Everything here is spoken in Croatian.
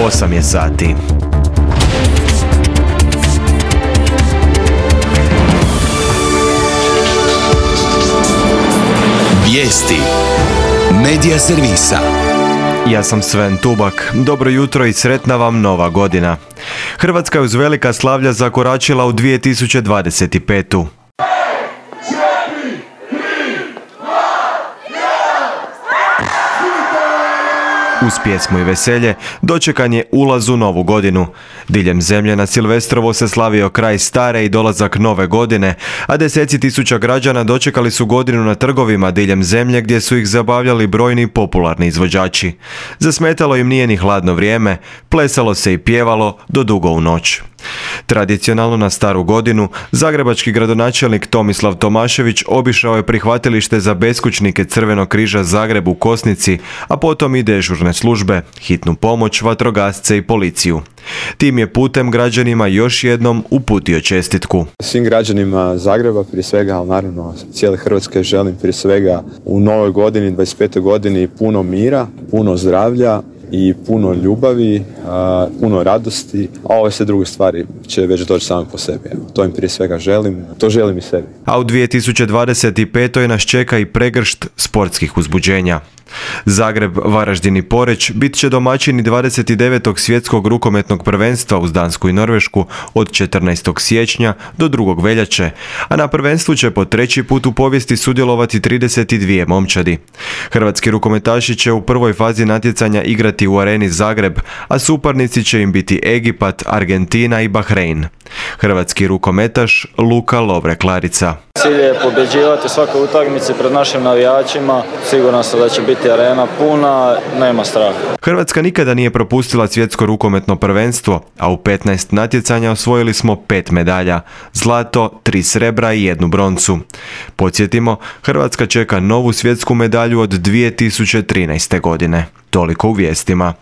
8 je sati. Vijesti Medija servisa. Ja sam Sven Tubak. Dobro jutro i sretna vam nova godina. Hrvatska je uz velika slavlja zakoračila u 2025. Uz pjesmu i veselje dočekan je ulaz u novu godinu. Diljem zemlje na Silvestrovo se slavio kraj stare i dolazak nove godine, a deseci tisuća građana dočekali su godinu na trgovima diljem zemlje gdje su ih zabavljali brojni popularni izvođači. Zasmetalo im nije ni hladno vrijeme, plesalo se i pjevalo do dugo u noć. Tradicionalno na staru godinu, zagrebački gradonačelnik Tomislav Tomašević obišao je prihvatilište za beskućnike Crvenog križa Zagreb u Kosnici, a potom i dežurne službe, hitnu pomoć, vatrogasce i policiju. Tim je putem građanima još jednom uputio čestitku. Svim građanima Zagreba, prije svega, ali naravno cijele Hrvatske, želim prije svega u novoj godini, 25. godini, puno mira, puno zdravlja i puno ljubavi, puno radosti, a ove sve druge stvari će već doći same po sebi. To im prije svega želim, to želim i sebi. A u 2025. nas čeka i pregršt sportskih uzbuđenja. Zagreb, Varaždin i Poreč bit će domaćini 29. svjetskog rukometnog prvenstva uz Dansku i Norvešku od 14. siječnja do 2. veljače, a na prvenstvu će po treći put u povijesti sudjelovati 32 momčadi. Hrvatski rukometaši će u prvoj fazi natjecanja igrati u areni Zagreb, a suparnici će im biti Egipat, Argentina i Bahrein. Hrvatski rukometaš Luka Lovre-Klarica. Cilj je pobjeđivati svakoj utakmici pred našim navijačima. Siguran sam da će biti arena puna, nema straha. Hrvatska nikada nije propustila svjetsko rukometno prvenstvo, a u 15 natjecanja osvojili smo 5 medalja, zlato, 3 srebra i 1 broncu. Podsjetimo, Hrvatska čeka novu svjetsku medalju od 2013. godine. Toliko u vijestima.